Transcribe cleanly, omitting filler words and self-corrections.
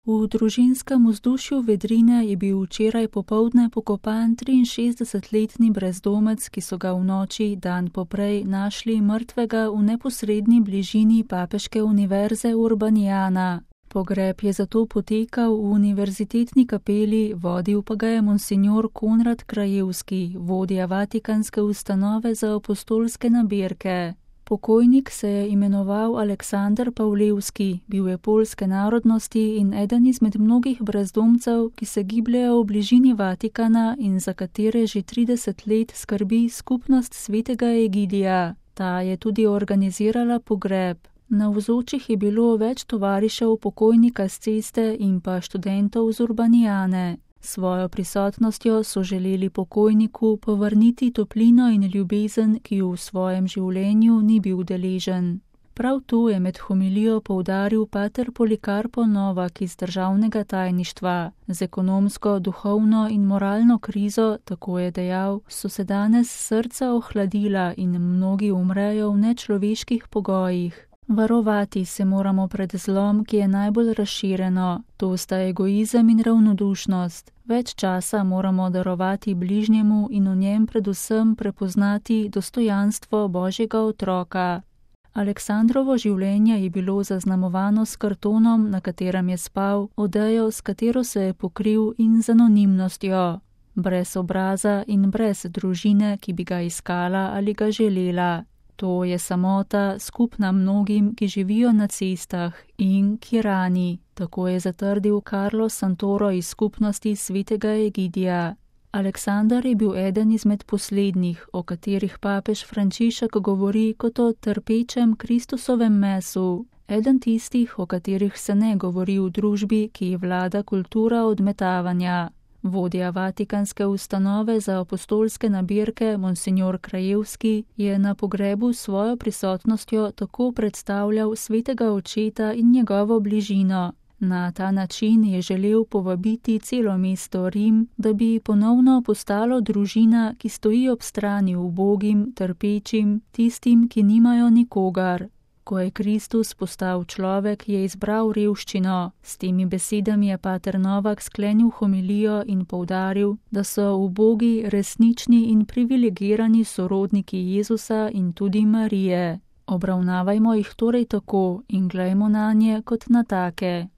V družinskem vzdušju Vedrine je bil včeraj popoldne pokopan 63-letni brezdomec, ki so ga v noči dan poprej našli mrtvega v neposredni bližini papeške univerze Urbaniana. Pogreb je zato potekal v univerzitetni kapeli, vodil pa ga je monsignor Konrad Krajewski, vodja Vatikanske ustanove za apostolske nabirke. Pokojnik se je imenoval Aleksander Pavlevski, bil je poljske narodnosti in eden izmed mnogih brezdomcev, ki se gibljejo v bližini Vatikana in za katere že 30 let skrbi skupnost svetega Egidija. Ta je tudi organizirala pogreb. Navzočih je bilo več tovarišev pokojnika s ceste in pa študentov z Urbanijane. Svojo prisotnostjo so želeli pokojniku povrniti toplino in ljubezen, ki jo v svojem življenju ni bil deležen. Prav to je med homilijo poudaril pater Polikarpo Novak iz državnega tajništva. Z ekonomsko, duhovno in moralno krizo, tako je dejal, so se danes srca ohladila in mnogi umrejo v nečloveških pogojih. Varovati se moramo pred zlom, ki je najbolj razširjeno, to sta egoizem in ravnodušnost. Več časa moramo darovati bližnjemu in v njem predvsem prepoznati dostojanstvo Božjega otroka. Aleksandrovo življenje je bilo zaznamovano s kartonom, na katerem je spal, odejo, s katero se je pokril, in z anonimnostjo. Brez obraza in brez družine, ki bi ga iskala ali ga želela. To je samota, skupna mnogim, ki živijo na cestah in ki rani, tako je zatrdil Carlos Santoro iz skupnosti svetega Egidija. Aleksander je bil eden izmed poslednjih, o katerih papež Frančišek govori kot o trpečem Kristusovem mesu, eden tistih, o katerih se ne govori v družbi, ki vlada kultura odmetavanja. Vodja Vatikanske ustanove za apostolske nabirke, monsignor Krajewski, je na pogrebu s svojo prisotnostjo tako predstavljal svetega očeta in njegovo bližino. Na ta način je želel povabiti celo mesto Rim, da bi ponovno postalo družina, ki stoji ob strani ubogim, trpečim, tistim, ki nimajo nikogar. Ko je Kristus postal človek, je izbral revščino. S temi besedami je pater Novak sklenil homilijo in poudaril, da so ubogi resnični in privilegirani sorodniki Jezusa in tudi Marije. Obravnavajmo jih torej tako in glejmo nanje kot na take.